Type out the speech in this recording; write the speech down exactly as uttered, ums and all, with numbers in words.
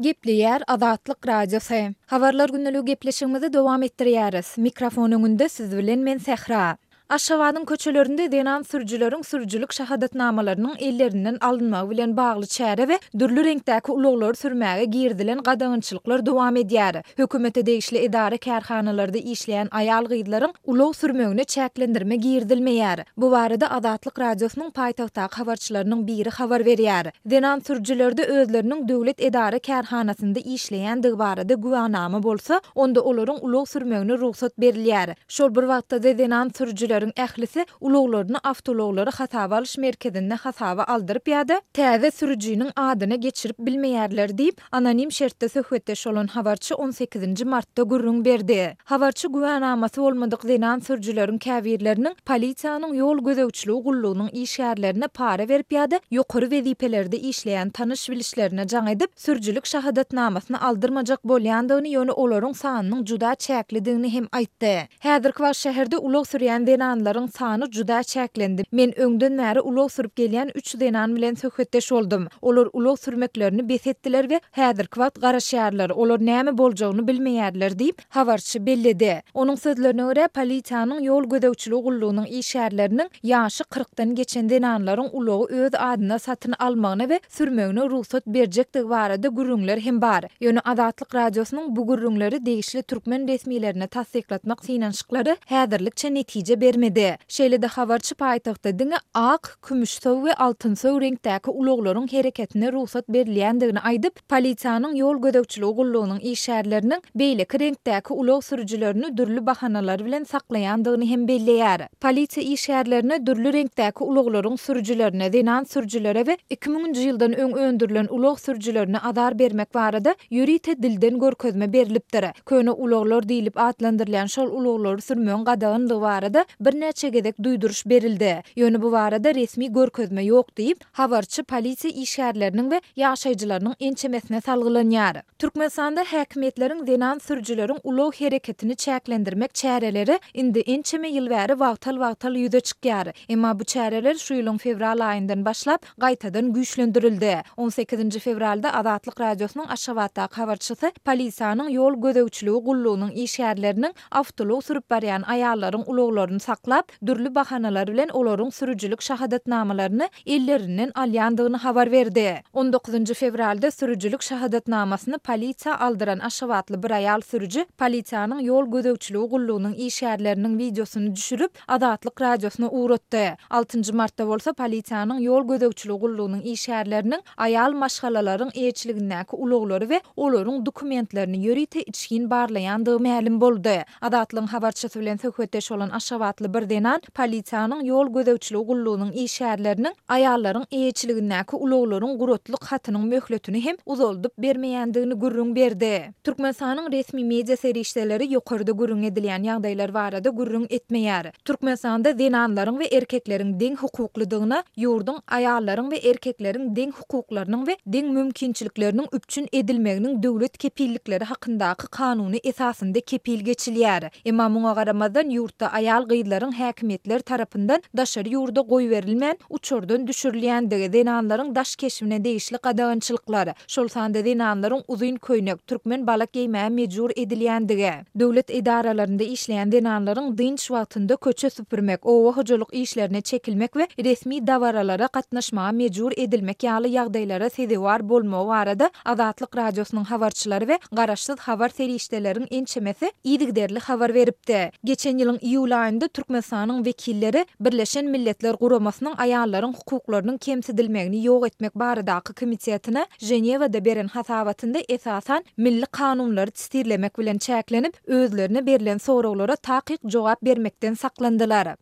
Gepleýär Azatlyk Radiosy. Habarlar gündeligi gepleşigimizi dowam etdirýäris. Mikrofon öňünde siz bilen men Sähra. Aşgabadyň köçelerinde zenan sürüjileriň sürüjilik şahadatnamalarynyň ellerinden alynmagy bilen bagly çäre we dürli reňkdäki ulaglary sürmäge girizilen gadagançylyklar dowam edýär. Hökümete degişli edara-kärhanalarda işleýän aýal-gyzlaryň ulag sürmegine çäklendirme girizilmeýär. Bu barada Azatlyk Radiosynyň paýtagtdaky habarçylarynyň biri habar berýär. Zenan sürüjilerde özleriniň döwlet edara-kärhanasynda işleýändigi barada güwänama bolsa, onda olaryň ulag sürmegine rugsat berilýär. Şol bir wagtda-da zenan sürüjileriň ählisi ulaglaryny awtoulaglary hasaba alyş merkezinde hasaba aldyryp ýa-da täze sürüjiniň adyna geçirip bilmeýärler diýip, anonim şertde söhbetdeş bolan habarçy on sekizinji martda gürrüň berdi. Habarçy güwänamasy bolmadyk zenan sürüjileriň käbirleriniň polisiýanyň ýol gözegçiligi gullugynyň işgärlerine para berip ýa-da ýokary wezipelerde işleýän tanyş-bilişlerine jaň edip, sürüjilik şahadatnamasyny aldyrmajak bolýandygyny, ýöne olaryň sanynyň juda çäklidigini hem aýtdy. Häzirki wagt şäherde ulag sürýän zenanlaryň sany juda çäklendi. Men öňden bäri ulag sürüp gelýän üç zenan bilen söhbetdeş boldum. Olar ulag sürmeklerini bes etdiler we häzirki wagt garaşýarlar. Olar näme boljagyny bilmeýärler diýip, habarçy belledi. Onuň sözlerine görä, polisiýanyň ýol gözegçiligi gullugynyň işgärleriniň ýaşy kyrkdan geçen zenanlaryň ulagy öz adyna satyn almagyna we sürmegine rugsat berjekdigi barada gürrüňler hem bar. Ýöne Azatlyk Radiosynyň bu gürrüňleri degişli türkmen resmilerine tassyklatmak synanyşyklary häzirlikçe netije bermedi. Şeýle-de habarçy paýtagtda diňe ak, kümüşsöw we altynsöw reňkdäki ulaglaryň hereketine rugsat berilýändigini aýdyp, polisiýanyň ýol gözegçiligi gullugynyň işgärleriniň beýleki reňkdäki ulag sürüjilerini dürli bahanalar bilen saklaýandygyny hem belleýär. Polisiýa işgärlerine dürli reňkdäki ulaglaryň sürüjilerine, zenan sürüjilere we iki müňünji ýyldan öň öndürilen ulag sürüjilerine azar bermek barada ýörite dilden görkezme berlipdir. Köne ulaglar diýlip atlandyrylýan şol ulaglary sürmegiň gadaganlygy barada birnäçe gezek duýduryş berildi. Ýöne bu barada resmi görkezme ýok diýip, habarçy polisiýa işgärleriniň we ýaşaýjylarynyň ençemesine salgylanýar. Türkmenistanda häkimiýetleriň zenan sürüjileriň ulag hereketini çäklendirmek çäreleri indi ençeme ýyl bäri wagtal-wagtal ýüze çykýar. Emma bu çäreler şu ýylyň fewral aýyndan başlap gaýtadan güýçlendirildi. on sekizinji fewralda Azatlyk Radiosynyň Aşgabatdaky habarçysy polisiýanyň ýol gözegçiligi gullugynyň işgärleriniň awtoulag sürüp barýan aýallaryň ulaglaryny saklap, dürli bahanalar bilen olaryň sürüjilik şahadatnamalaryny ellerinden alýandygyny habar berdi. on dokuzynjy fewralda sürüjilik şahadatnamasyny polisiýa aldyran Aşgabatly bir aýal sürüji polisiýanyň ýol gözegçiligi gullugynyň işgärleriniň wideosyny düşürip, Azatlyk Radiosyna ugratdy. Altynjy martda bolsa polisiýanyň ýol gözegçiligi gullugynyň işgärleriniň aýal maşgalalaryň eýeçiligindäki ulaglary we olaryň dokumentlerini ýörite içgin barlaýandygy mälim boldy. Azatlygyň habarçysy bilen söhbetdeş bolan Aşgabatly bir zenan polisiýanyň ýol gözegçiligi gullugynyň işgärleriniň aýallaryň eýeçiligindäki ulaglaryň guratlyk hatynyň möhletini hem uzaldyp bermeýändigini gürrüň berdi. Türkmenistanyň resmi media serişdeleri ýokarda gürrüň edilýän ýagdaýlar barada gürrüň etmeýär. Türkmenistanda zenanlaryň we erkekleriň deň hukuklydygyna, ýurduň aýallaryň we erkekleriň deň hukuklarynyň we deň mümkinçilikleriniň üpjün edilmeginiň döwlet kepillikleri hakyndaky kanuny esasynda kepil geçilýär. Emma muňa garamazdan ýurtda aýal gyzlaryň häkimiýetler tarapyndan daşary ýurda goýberilmän uçardan düşürilýändigi, zenanlaryň daş keşbine degişli gadagançylyklar, şol sanda zenanlaryň uzyn köýnek, türkmen balak geýmäge mejbur edilýändigi, döwlet edaralarynda işleýän zenanlaryň dynç wagtynda köçe süpürmek, oba hojalyk işlerine çekilmek we resmi dabaralara gatnaşmaga mejbur edilmek ýaly ýagdaýlara sezewar bolmagy barada Azatlyk Radiosynyň habarçylary we garaşsyz habar serişdeleriň ençemesi yzygiderli habar beripdi. Geçen ýylyň iýul aýynda Türkmenistanyň wekilleri Birleşen Milletler Guramasynyň aýallaryň hukuklarynyň kemsidilmegini ýok etmek baradaky komitetine Ženewada beren hasabatynda esasan milli kanunlary sitirlemek bilen çäklenip, özlerine berlen soraglara takyk jogap bermekden saklandylar.